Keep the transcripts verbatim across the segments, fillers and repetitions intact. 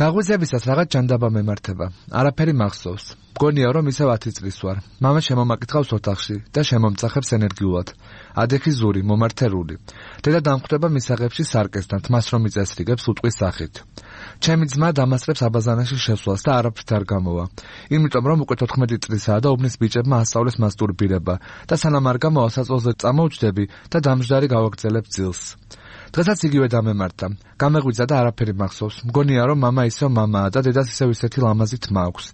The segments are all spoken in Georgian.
გაღვიძებისას რაღაც ჯანდაბა მემართება. არაფერი მახსოვს. მგონია რომ ისევ ათი წლის ვარ. მამა შემომაკითხავს ოთახში და შემომწახებს ენერგიულად. ადექი ზური, მომართერული. დედა დამხვდება მისაღებში სარკესთან, თმას რომ იწესრიგებს უტყვის სახით. ჩემი ძმა დამასწრებს აბაზანაში შესვლას და არაფრით არ გამოვა. იმიტომ რომ უკვე თოთხმეტი წლისაა და უბნის ბიჭებმა ასწავლეს მასტურბირება და სანამ არ გამოვა საწოლზე წამოვჯდები და დამждარი გავაგრძელებ ძილს. დღესაც იგივე დამემართა. გამეღვიძა და არაფერი მახსოვს. მგონია რომ მამა ისევ მამაა და დედას ისევ ისეთი ლამაზი თმა აქვს.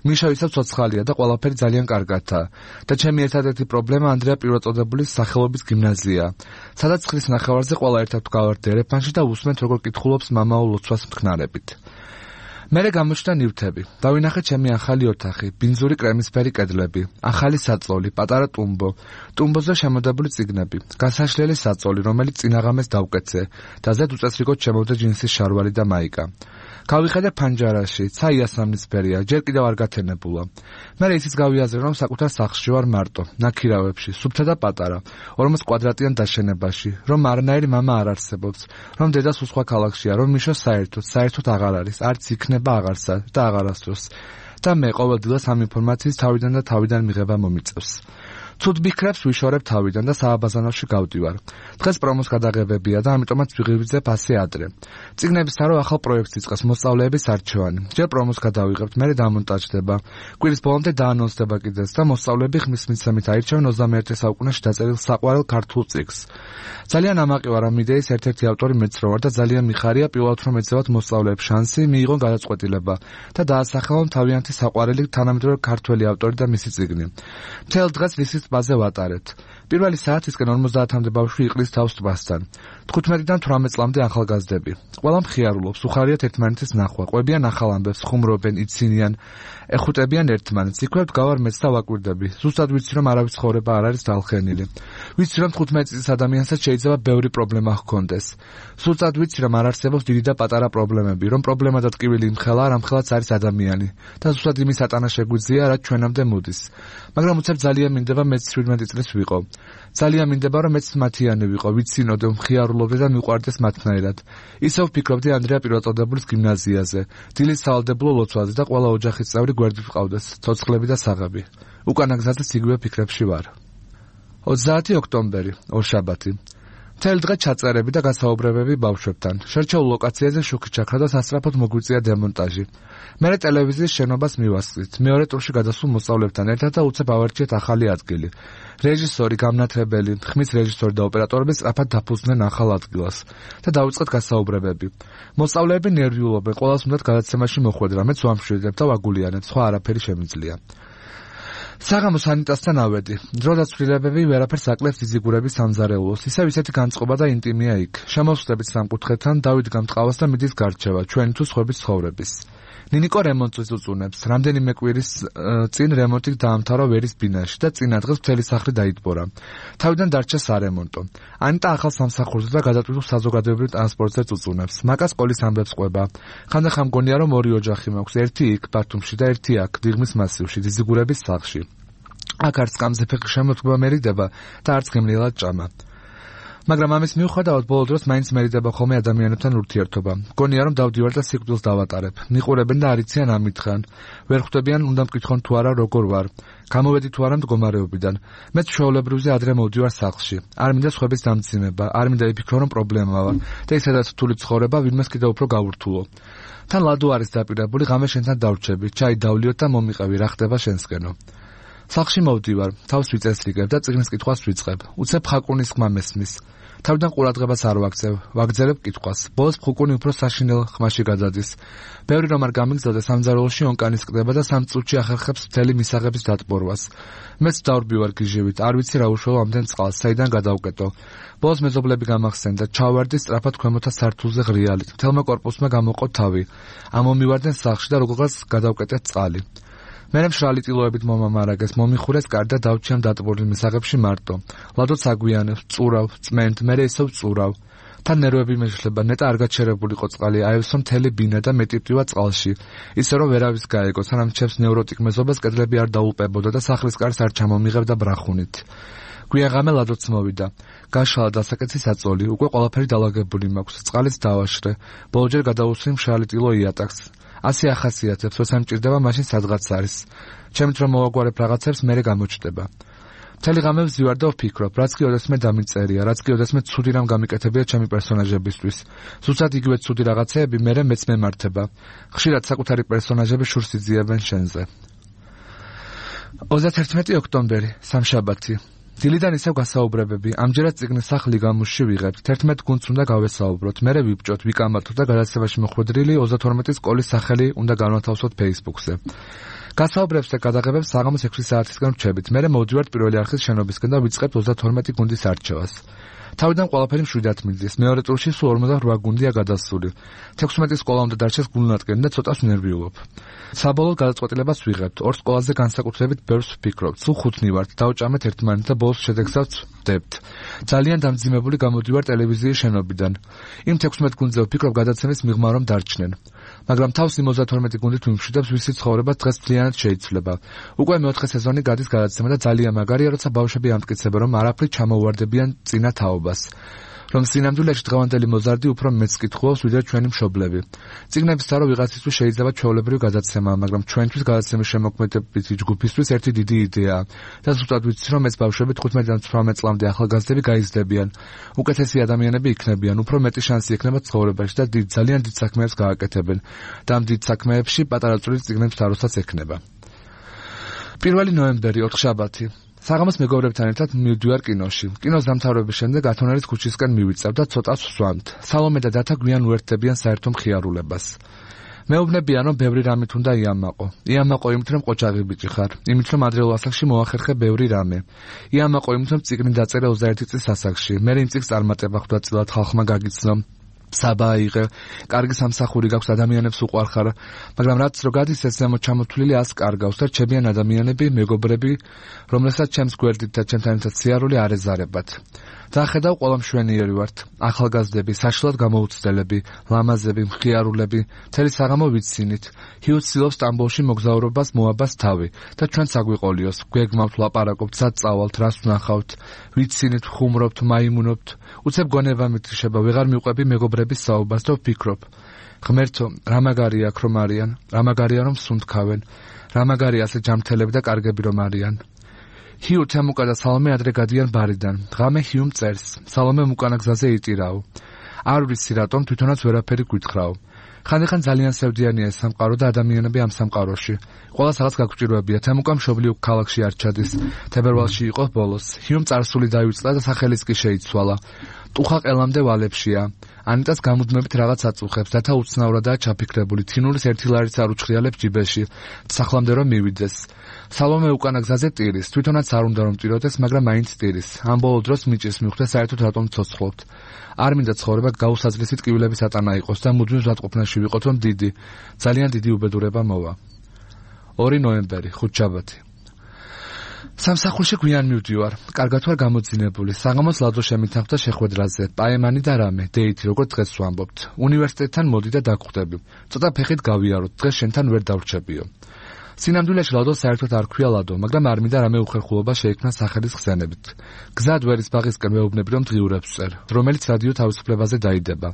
მიშა ისევ ცოცხალია და ყველაფერი ძალიან კარგადაა. და ჩემი ერთადერთი პრობლემა ანდრია პირველწოდებულის სახელობის გიმნაზიაა. სადაც ხრის ნახევარზე ყველა ერთად გავართ ერეფანში და უსმენთ როგორ კითხულობს მამაო ლოცვას მთქნარებით. მერე გამოჩნდა ნივთები. დავინახე ჩემი ახალი ოთახი, ბინძური კრემისფერი კედლები, ახალი საწოლი, პატარა ტუმბო, ტუმბოზე შემოდებული წიგნები, გასაშლელი საწოლი, რომელიც წინაღამეს დავკეთე და ზედ უწესრიგოდ შემოვდა ჯინსის შარვარი და მაიკა. გავიხედე ფანჯარაში, ცა იასამნისფერია, ჯერ კიდევ არ გათენებულა. მერე ისიც გავიაზრე, რომ საკუთარ სახლში ვარ მარტო, ნაქირავებში, სუფთა და პატარა, ორმოც კვადრატიან დაშენებაში, რომ არანაირი მამა არ არსებობს, რომ დედა სულ სხვა ქალაქშია, რომ მიშო საერთოდ, საერთოდ აღარ არის, არც იქნება აღარსა და აღარასდროს. და მე ყოველდღიურად ამ ინფორმაციის თავიდან და თავიდან მიღება მომიწევს. ცუდ ბიქრებს ვიშორებ თავიდან და სააბაზანოში გავდივარ. დღეს პრომოს გადაღებებია და ამიტომაც ვიღებიძებ ასე ადრე. წიგნების თარო ახალ პროექტს იწყებს მოსწავლეების არჩევანი. ჯერ პრომოს გადავიღებთ, მერე დამონტაჟდება. კვირის ბოლომდე დაანონსდება კიდეც და მოსწავლეები ხმის მიცემით აირჩევენ ოცდამეერთე საუკუნეში დაწერილ საყვარელ ქართულ წიგნს. ძალიან ამაყი ვარ ამ იდეის ერთ-ერთი ავტორი მეც რო ვარ და ძალიან მიხარია პირველად რომ ეცევათ მოსწავლეებს შანსი, მიიღონ გადაწყვეტილება და დაასახელონ თავიანთი საყვარელი თანამედროვე ქართველი ავტორი და მისი წიგნი. მთელ დღეს ლისის ტბაზე ვატარებთ. პირველი საათისკენ ორმოცდაათამდე ბავშვი იყრის თავს ტბასთან. თხუთმეტიდან თვრამეტ წლამდე ახალგაზრდები. ყველა მხიარულობს, უხარიათ ერთმანეთის ნახვა, ყვებიან ახალ ამბებს, ხუმრობენ, იცინიან, ეხუტებიან ერთმანეთს. იქვე ვდგავარ მეც და ვაკვირდები. ზუსტად ვიცი რომ არავის ცხოვრება არ არის დალხენილი. ვიცი რომ თხუთმეტი წლის ადამიანსაც შეიძლება ბევრი პრობლემა ჰქონდეს. ზუსტად ვიცი რომ არ არსებობს დიდი და პატარა პრობლემები, რომ პრობლემა და ტკივილი იმხელა, რამხელაც არის ადამიანი. და ზუსტად იმის ატანა შეგვიძლია, რაც ჩვენამდე მოდის. მაგრამ უცებ ძალიან მინდება მეც შვიდმეტი წლის ვიყო. ძალიან მინდება რომ მეც მათიანი ვიყო, ვიცინოდე, მხიარულობდე და მიყვარდეს მათნაირად. ისევ ვფიქრობდი ანდრია პირველწოდებულის გიმნაზიაზე, დილის სავალდებულო ლოცვაზე და ყველა ოჯახის წევრი გვერდით ვყავდეს, ცოცხლები და საღები. უკანა გზაზეც იგივე ფიქრებში ვარ. ოცდაათი ოქტომბერი, ორშაბათი. მთელი დღე ჩაწერები და გასაუბრებები ბავშვებთან. შერჩეულ ლოკაციაზე შუქი ჩაქრა და სასწრაფოდ მოგვიწია დემონტაჟი. მერე ტელევიზიის შენობას მივასწრით. მეორე ტურში გადასულ მოსწავლეებთან ერთად და უცებ ავარჩიეთ ახალი ადგილი. რეჟისორი, გამნათებელი, ხმის რეჟისორი და ოპერატორები სწრაფად დაფუძნდნენ ახალ ადგილას და დავიწყეთ გასაუბრებები. მოსწავლეები ნერვიულობენ, ყველას უნდათ გადაცემაში მოხვედრა, მეც ვამშვიდებ და ვაგულიანებ, სხვა არაფერი შემიძლია. საღამოს ანიტასთან ავედი. დრო და ცვლილებები ვერაფერს აკლებს დიზიგურების სამზარეულოს. ისევ ისეთი განწყობა და ინტიმია იქ. შემოვსწრებით სამკუთხედთან, დავიდგამ ტყავას და მიდის გარჩევა, ჩვენი თუ სხვების ცხოვრების. ნინიკო რემონტს უწუნებს. რამდენიმე კვირის წინ რემონტი დაამთავრა ვერის ბინაში და წინა დღეს მთელი სახლი დაიტბორა. თავიდან დარჩა სარემონტო. ანიტა ახალ სამსახურზე და გადატვირთულ საზოგადოებრივ ტრანსპორტზე უწუნებს. მაკას სკოლის ამბებს ყვება. ხანდახან მგონია რომ ორი ოჯახი მაქვს, ერთი იქ ბათუმში და ერთი აქ დიღმის მასივში, დიზიგურების სახლში. აქ არც სკამზე ფეხი შემოდგება მერიდება და არც გემრიელად ჭამა. მაგრამ ამის მიუხედავად ბოლო დროს მაინც მერიდება ხოლმე ადამიანებთან ურთიერთობა. მგონია რომ დავდივარ და სიკვდილს დავატარებ. მიყურებენ და არიციან ამითხრან. ვერ ხვდებიან უნდა მკითხონ თუ არა როგორ ვარ. გამოვედი თუ არა მდგომარეობიდან. მეც ჩვეულებრივზე ადრე მოვდივარ სახლში. არ მინდა სხვების დამძიმება, არ მინდა იფიქრო რომ პრობლემა ვარ და ისედაც რთული ცხოვრება ვინმეს კიდევ უფრო გავურთულო. თან ლადო არის დაპირებული, ღამე შენთან დავრჩები, ჩაი დავლიოთ და მომიყევი, რა ხდება შენსკენო. სახლში მოვდივარ, თავს ვიწესრიგებ და წიგნის კითხვას ვიწყებ. უცებ ხაკუნის ხმა მესმის. თავიდან ყურადღებას არ ვაქცევ, ვაგრძელებ კითხვას. ბოლოს ხუკუნი უფრო საშინელ ხმაში გადადის. ბევრი რომ არ გამიგზავდეს სამზარეულოში ონკანის კდება და სამ წუთში ახერხებს მთელი მისაღების დატბორვას. მეც დავრბივარ გიჟივით, არ ვიცი რა უშველო ამდენ წყალს, საიდან გადავკეტო. ბოლოს მეზობლები გამახსენდა, ჩავარდი სწრაფად ქვემოთა სართულზე ღრიალით. მთელმა კორპუსმა გამოყო თავი. ამომივარდნენ სახლში და როგორღაც გადავკეტეთ წყალი. მერე მშრალი ტილოებით მომამარაგეს, მომიხურეს კარ და დავჭი ამ დატბორილ მისაღებში მარტო. ლადოც აგვიანებს, წურავ, წმენთ, მერე ისევ წურავ. თან ნერვები მეშლება, ნეტა არ გაჩერებულიყო წყალი, აევსო მთელი ბინა და მეტი პტივა წყალში. ისე რომ ვერავის გაეგო, სანამ ჩემს ნევროტიკ მეზობელს კედლები არ დაულპებოდა და სახლის კარს არ ჩამომიღებდა ბრახუნით. გვიან ღამე ლადოც მოვიდა. გაშალა დასაკეცი საწოლი, უკვე ყველაფერი დალაგებული მაქვს, წყალიც დავაშრე. ბოლოჯერ გადავუსვი მშრალი ტილო იატაკს. ასე ახასიათებს, როცა მჭირდება, მაშინ სადღაც არის. ჩემით რომ მოვაგვარებ რაღაცებს, მერე გამოჩნდება. მთელი ღამე ვზივარ და ვფიქრობ, რაც კი ოდესმე დამიწერია, რაც კი ოდესმე ცუდი რამ გამიკეთებია ჩემი პერსონაჟებისთვის. ზუსტად იგივე ცუდი რაღაცეები მერე მეც მემართება. ხშირად საკუთარი პერსონაჟები შურს იძიებენ შენზე. ოცდაერთმეტი ოქტომბერი, სამშაბათი. დილიდან ისევ გასაუბრებები. ამჯერად წიგნის სახლი გამუშში ვიღებთ. თერთმეტ გუნდს უნდა გავესაუბროთ. მერე ვიბჭოთ, ვიკამათოთ და გადაცემაში მოხვედრილი ოცდათორმეტი სკოლის სახელი უნდა განვათავსოთ Facebook-ზე. გასაუბრებს და გადაღებებს საღამოს ექვსი საათისგან ვჩებით. მერე მოვდივართ პირველი არხის შენობისკენ და ვიწყებთ ოცდათორმეტი გუნდის არჩევას. თავიდან ყველაფერი მშვიდად მიდის. მეორე ტურში სულ ორმოცდაოთხ გუნდია გადასული. თექვსმეტი სკოლა უნდა დარჩეს გულნატკენი და ცოტას ვნერვიულობ. საბოლოოდ გადაწყვეტილებას ვიღებთ. ორ სკოლაზე განსაკუთრებით ბევრს ვფიქრობთ. სულ ხუთნი ვართ. დავჭამეთ ერთმანეთს და ბოლოს შედეგსაც ვდებთ. ძალიან დამძიმებული გამოდივარ ტელევიზიის შენობიდან. იმ თექვსმეტ გუნდზე ვფიქრობ გადაცემის მიღმა რომ დარჩნენ. მაგრამ თავს იმ ოცდათორმეტი გუნდით ვიმშვიდებს, ვისი ცხოვრება დღეს მთლიანად შეიცვლება. უკვე მეოთხე სეზონი გადის გადაცემა და ძალიან მაგარია, როცა ბავშვები ამტკიცებენ, რომ არაფრით ჩამოუვარდებიან წინა თაობას. რომ სინამდვილეში დღევანდელი მოზარდი უფრო მეც კითხულობს, ვიდრე ჩვენი მშობლები. წიგნების თარო ვიღაცისთვის შეიძლება ჩვეულებრივი გადაცემაა, მაგრამ ჩვენთვის გადაცემის შემოქმედებითი ჯგუფისთვის ერთი დიდი იდეაა. და ზუსტად ვიცი, რომ ეს ბავშვები თხუთმეტიდან ცხრამეტ წლამდე ახალგაზრდები გაიზრდებიან. უკეთესი ადამიანები იქნებიან, უფრო მეტი შანსი ექნება ცხოვრებაში და დიდ ძალიან დიდ საქმეებს გააკეთებენ. და ამ დიდ საქმეებში პატარა წვრილი წიგნების თაროსაც ექნება. პირველი ნოემბერი, ოთხშაბათი. საღამოს მეგობრებთან ერთად მივდივარ კინოში. კინოს დამთავრების შემდეგ ათონერის ქუჩისკენ მივიწევ და ცოტას ვსვამთ. სალომე და დათა გვიან უერთდებიან საერთო მხიარულებას. მეუბნებიან, რომ ბევრი რამით უნდა იამაყო. იამაყო იმით, რომ ყოჩაღი ბიჭი ხარ. იმით, რომ ადრეულ ასაკში მოახერხე ბევრი რამე. იამაყო იმით, რომ წიგნი დაწერე ოცდაერთი წლის ასაკში. მე იმ წიგნს წარმატება ხვდა წილად ხალხმა გაგიცნო. საბა აიღე, კარგი სამსახური გაქვს, ადამიანებს უყვარხარ, მაგრამ რაც რო გადის ეს ზემოთ ჩამოთვლილი ას კარგავს და რჩებიან ადამიანები, მეგობრები, რომლებსაც ჩემს გვერდით და ჩემთან ერთად სიარული არ ეზარებათ. დახედავ ყველა მშვენიერი ვართ, ახალგაზრდები, საშლად გამოუცდელები, ლამაზები, მხიარულები, მთელი საღამო ვიცინით. ჰიუც ცდილობს სტამბოლში მოგზაურობას მოაბას თავი და ჩვენ საგვიყოლიოს, გვეგმავთ, ლაპარაკობთ, სად წავალთ, რას ვნახავთ, ვიცინით, ხუმრობთ, მაიმუნობთ. უცებ გონება მითიშება, ვეღარ მივყვები მეგობრების საუბარს და ვფიქრობ. ღმერთო, რა მაგარია აქ რომ არიან, რა მაგარია რომ სუნთქავენ, რა მაგარია ასე ჯამთელები და კარგები რომ არიან. ჰიუ თემუკა და სალომე ადრე გადიან ბარიდან. ღამე ჰიუმ წერს. სალომე უკანა გზაზე იტირაო. არ ვიცი რატომ თვითონაც ვერაფერი გვითხრაო. ხანდახან ძალიან სევდიანია ეს სამყარო და ადამიანები ამ სამყაროში. ყველა რაღაც გაგვჭირვებია. თემუკა მშობლიურ ქალაქში არ ჩადის. თებერვალში იყო ბოლოს. ჰიუმ წარსული დაივიწყდა და სახელიც კი შეიცვალა. ტუხა ყელამდე ვალებშია. ანიტას გამუდმებით რაღაც აწუხებს, რათა უცნაურადაა ჩაფიქრებული. თინურის ერთი ლარიც არ უჩხრიალებს ჯიბეში. სახლამდე რომ მივიდეს. სალომე უკანა გზაზე ტირის. თვითონაც არ უნდა რომ ტიროდეს, მაგრამ მაინც ტირის. ამ ბოლო დროს მიჭირს მიხვდა საერთოდ რატომ ცოცხლობთ. არ მინდა ცხოვრება გაუსაძლისი ტკივილების ატანა იყოს და მუდმივ ზღაპყოფნაში ვიყოთ, რომ დიდი, ძალიან დიდი უბედურება მოვა. ორი ნოემბერი, ხუთშაბათი. სამსახურში გვიან მივდივარ. კარგად ვარ გამოძინებული. საღამოს ლადო შემითანხმდა შეხვედრაზე. პაემანი და რამე, დეითი, როგორც დღეს ვამბობთ. უნივერსიტეტთან მოდი და დაგხვდები. ცოტა ფეხით გავიაროთ. დღეს შენთან ვერ დავრჩებიო. სინამდვილეში ლადო საერთოდ არ ქვია ლადო, მაგრამ არ მინდა რამე უხერხულობა შეიქმნა სახელის ხსენებით. გზად ვერის ბაღისკენ მეუბნები, რომ დღიურებს წერ, რომელიც რადიო თავისუფლებაზე დაიდება.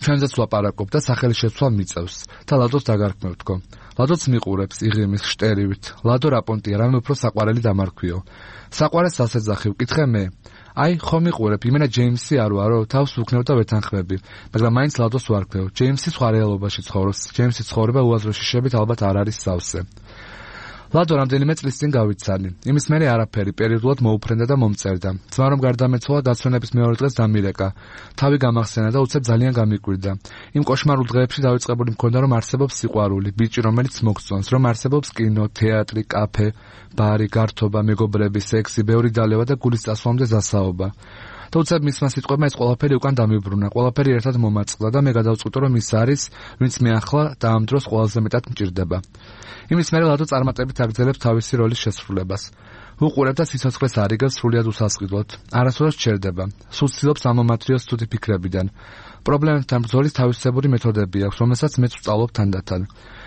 ჩვენზეც ვლაპარაკობ და სახელის შეცვლა მიწევს და ლადოს დაგარქმევთქო. ლადოც მიყურებს იღიმის შტერივით. ლადო რაპონტია, რამე უფრო საყვარელი დამარქვიო. საყვარეს ასეძახი, ვკითხე მე. აი, ხომ მიყურებ, იმენა ჯეიმსი არ ვარო, თავს ვუქნევ და ვეთანხმები, მაგრამ მაინც ლადოს ვარქვევ. ჯეიმსი სხვა რეალობაში ცხოვრობს. ჯეიმსის ცხოვრება უაზრო შიშებით ალბათ არ არის სავსე. ლადო რამდენიმე წლის წინ გავიცანი. იმის მერე არაფერი, პერიოდულად მოუფრენდა და მომწერდა. ძმა რომ გარდამეცვალა, დაცვენების მეორე დღეს დამირეკა. თავი გამახსენა და უცებ ძალიან გამიკვირდა. იმ კოშმარულ დღეებში დავიწყებული მქონდა, რომ არსებობს სიყვარული, ბიჭი, რომელიც მოგწონს, რომ არსებობს კინო, თეატრი, კაფე, ბარი, გართობა, მეგობრები, სექსი, ბევრი დალევა და გულის წასვლამდე დასაობა. და უცებ მისმა სიტყვებმა ეს ყველაფერი უკან დამიბრუნა. ყველაფერი ერთად მომაწყდა და მე გადავწყვიტე, რომ ის არის, ვინც მე ახლა და ამ დროს ყველაზე მეტად მჭირდება. იმის მერე ლადო წარმატებით აგრძელებს თავისი როლის შესრულებას. უყურებ და სიცოცხლეს არიგებს სრულიად უსასყიდლოდ. არასდროს ჩერდება. სულ ცდილობს ამომათრიოს ცუდი ფიქრებიდან. პრობლემებთან ბრძოლის თავისებური მეთოდები აქვს, რომელსაც მეც ვსწავლობ თანდათან.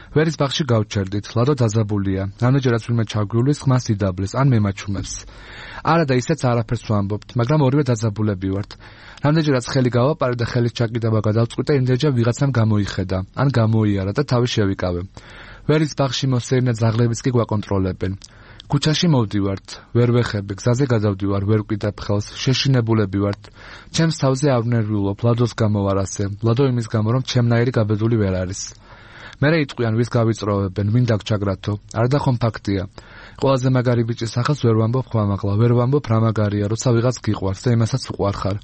ვერის ბაღში გავჩერდით, ლადო დაძაბულია, რამდენჯერაც ვინმე ჩაგვივლის, ხმას იდაბლეს, ან მემაჩუმებს. არა და ისეც არაფერს ვამბობთ, მაგრამ ორივე დაძაბულები ვართ. რამდენჯერაც ხელი გავაპარე და ხელის ჩაკიდება გადავწყვიტე, იმდენჯერ ვიღაცამ გამოიხედა, ან გამოიარა და თავი შევიკავე. ვერის ბაღში მოსეირნე ძაღლებიც კი გვაკონტროლებენ. ქუჩაში მოვდივართ, ვერ ვეხები, გზაზე გადავდივარ, ვერ ვკიდებ ხელს, შეშინებულები ვართ. ჩემს თავზე არ ვნერვიულობ, ლადოს გამო ვარ ასე, ლადო იმის გამო, რომ ჩემნაირი გაბედული ვერ არის. მერე იტყვიან, ვის გავიწროვებენ, ვინ დაგჩაგრათო, არ და ხომ ფაქტია. ყველაზე მაგარი ბიჭის სახელს ვერ ვამბობ ხვამაღლა, ვერ ვამბობ რა მაგარია, როცა ვიღაც გიყვარს და იმასაც უყვარხარ.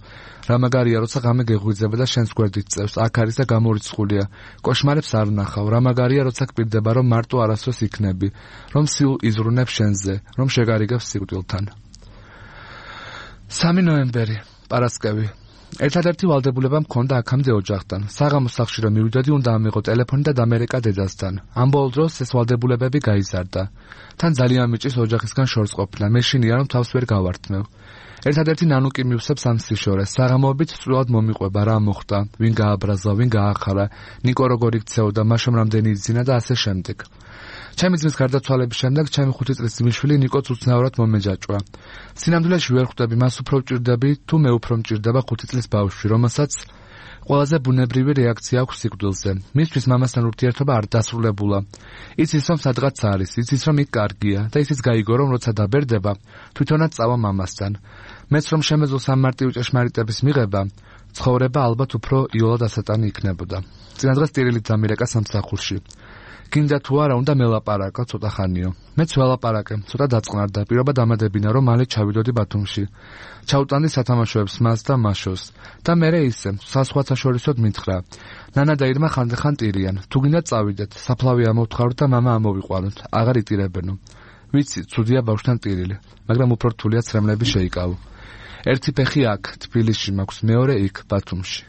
რა მაგარია, როცა ღამე გეღვიძება და შენს გვერდით წევს, აქ არის და გამორიცხულია. კოშმარებს არ ვნახავ, რა მაგარია, როცა გპირდება, რომ მარტო არასდროს იქნები, რომ სულ იზრუნებ შენზე, რომ შეგარიგებს სიკვდილთან. სამი ნოემბერი, პარასკევი. ერთადერთი ვალდებულება მქონდა აქამდე ოჯახთან. საღამოს სახლში რომ მივიდოდი, უნდა ამიღო ტელეფონი და დამერეკა დედასთან. ამ ბოლო დროს ეს ვალდებულებები გაიზარდა. თან ძალიან მიჭის ოჯახისგან შორს ყოფნა. მე შინია რომ თავს ვერ გავართმევ. ერთადერთი ნანუკი მივსებს ამ სიშორეს. საღამოობით სწრულად მომიყვება რა მოხდა, ვინ გააბრაზა, ვინ გაახარა, ნიკო როგორ იქცეოდა, მაშამ რამდენი იძინა და ასე შემდეგ. ჩემი ძმის გარდაცვალების შემდეგ ჩემი ხუთი წლის ძმისშვილი ნიკოც უცნაურად მომეჯაჭვა. სინამდვილეში ვერ ხვდები, მას უფრო ვჭირდები, თუ მე უფრო მჭირდება ხუთი წლის ბავშვი, რომელსაც ყველაზე ბუნებრივი რეაქცია აქვს სიკვდილზე. მისთვის მამასთან ურთიერთობა არ დასრულებულა. იცის რომ სადღაც არის, იცის რომ იქ კარგია და ისიც გაიგო რომ როცა დაბერდება, თვითონაც წავა მამასთან. მეც რომ შემეძლო სამმარტივი ჭეშმარიტების მიღება, ცხოვრება ალბათ უფრო იოლად ასატანი იქნებოდა. წინა დღეს ტირილით დამირეკა სამსახურში. გინდა თუ არა უნდა მელაპარაკო ცოტა ხანიო. მეც ველაპარაკე, ცოტა დაწყნარდა, პირობა დამადებინა რომ მალე ჩავიდოდი ბათუმში. ჩავტანდი სათამაშოებს მას და მაშოს. და მერე ისე, საზღვათა შორისოდ მითხრა. ნანა და ირმა ხანდახან ტირიან. თუ გინდა წავიდეთ, საფლავი ამოვთხაროთ და მამა ამოვიყვანოთ. აღარ იტირებენო. ვიცი, ცუდია ბავშვთან ტირილი, მაგრამ უფრო რთულია ცრემლები შეიკავო. ერთი ფეხი აქ, თბილისში მაქვს, მეორე იქ, ბათუმში.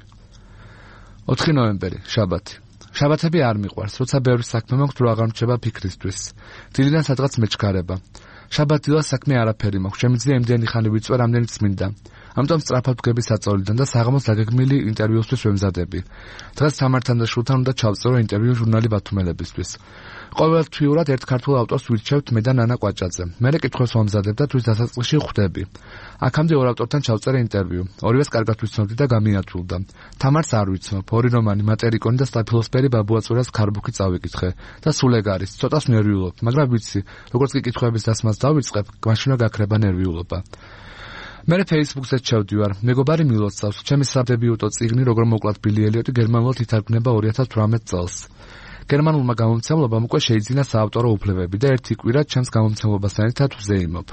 ოთხი ნოემბერი, შაბათი. შაბათები არ მიყვარს, როცა ბევრი საქმე მაქვს, რო აღარ მრჩება ფიქრისთვის. დილიდან სადღაც მეჩქარება. შაბათდილას საქმე არაფერი მაქვს, შემიძლია იმდენი ხანი ვიწვე, რამდენიც მინდა. ამიტომ სწრაფად ვგები საწოლიდან და საღამოს დაგეგმილი ინტერვიუსთვის ვემზადები. დღეს სამართან და შულთან უნდა ჩავწერო ინტერვიუ ჟურნალი ბათუმელებისთვის. ყოველთვიურად ერთ ქართულ ავტორს ვირჩევთ მე და ნანა კვაჭაძე. მერე კითხვას ვამზადებ და თვის დასაწყისში ხვდები. აქამდე ორ ავტორთან ჩავწერე ინტერვიუ. ორივეს კარგად ვიცნობდი და გამიათულდა. თამარს არ ვიცნობ, ორი რომანი, მატერიკონი და სტაფილოსფერი ბაბუაწურას ქარბუქი წავიკითხე და სულ ეგ არის. ცოტას ნერვიულობ, მაგრამ ვიცი, როგორც კი კითხვების დასმას დავიწყებ, მაშინვე გაქრება ნერვიულობა. მერე Facebook-ზე ჩავდივარ. მეგობარი მილოცავს, ჩემი სადებიუტო წიგნი როგორ მოკლათ ბილი ელიოტი გერმანულად ითარგმნება ორი ათას თვრამეტ წელს. გერმანულმა გამომცემლობამ უკვე შეიძინა საავტორო უფლებები და ერთი კვირა ჩემს გამომცემლობასთან ერთად ვზეიმობ.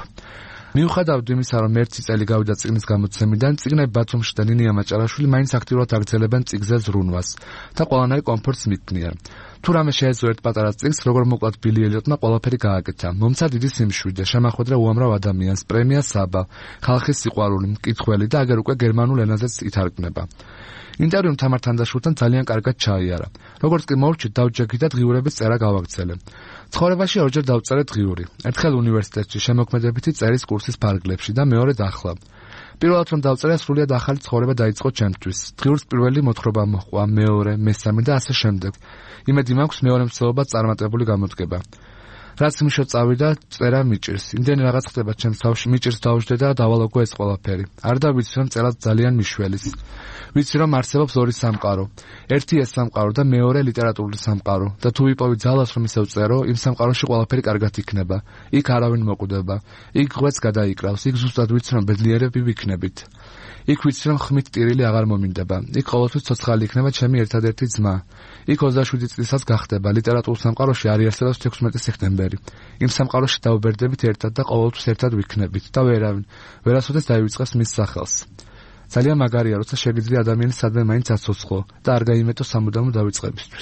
მიუხედავად იმისა, რომ ერთი წელი გავიდა წიგნის გამოცემიდან, წიგნები ბათუმში და ნინია მაჭარაშვილი მაინც აქტიურად აგრძელებენ წიგნზე ზრუნვას და ყველანაირ კომფორტს მიქმნიან. თუ რამე შეეძლო ერთ პატარა წიგნს, როგორ მოკლათ ბილი ელიოტმა ყველაფერი გააკეთა. მომცა დიდი სიმშვიდე, შემახვედრა უამრავ ადამიანს, პრემია საბა, ხალხის სიყვარული, მკითხველი და აგერ უკვე გერმანულ ენაზეც ითარგმნება. ინტერვიუმ თამართან და შულთან ძალიან კარგად ჩაიარა. როგორც კი მოვჭით, დავჯექი და დღიურების წერა გავაგრძელე. ცხოვრებაში ორჯერ დავწერე დღიური. ერთხელ უნივერსიტეტში შემოქმედებითი წერის კურსის ფარგლებში და მეორედ ახლა. პირველად რომ დავწერე, სრულიად ახალი ცხოვრება დაიწყო ჩემთვის. დღიურს პირველი მოთხრობა მოჰყვა, მეორე, მესამე და ასე შემდეგ. იმედი მაქვს მეორე მცდელობაც წარმატებული გამოდგება. რაც მიშო წავიდა, წერა მიჭირს. იმდენი რაღაც ხდება ჩემს თავში, მიჭირს დავждდე და დავალოგო ეს ყველაფერი. არ დავიცი რომ წერაც ძალიან მიშველის. ვიცი რომ არსებობს ორი სამყარო. ერთი ეს სამყარო და მეორე ლიტერატურული სამყარო. და თუ ვიპოვი ძალას რომ ისევ წერო, იმ სამყაროში ყველაფერი კარგად იქნება. იქ არავინ მოკვდება. იქ ღვეც გადაიკრავს. იქ ზუსტად ვიცი რომ ბედნიერები ვიქნებით. იქ ვიცი რომ ხმით ტირილი აღარ მომინდება. იქ ყოველთვის ცოცხალი იქნება ჩემი ერთადერთი ძმა. იქ ოცდაშვიდი წლისას გახდება. ლიტერატურულ სამყაროში არ იარსებობს თექვსმეტი სექტემბერი. იმ სამყაროში დავბერდებით ერთად და ყოველთვის ერთად ვიქნებით და ვერავინ ვერასოდეს დაივიწყებს მის სახელს. ძალიან მაგარია, როცა შეგიძლია ადამიანის სადმე მაინც აცოცხლო და არ გაიმეტო სამუდამო დავიწყებისთვის.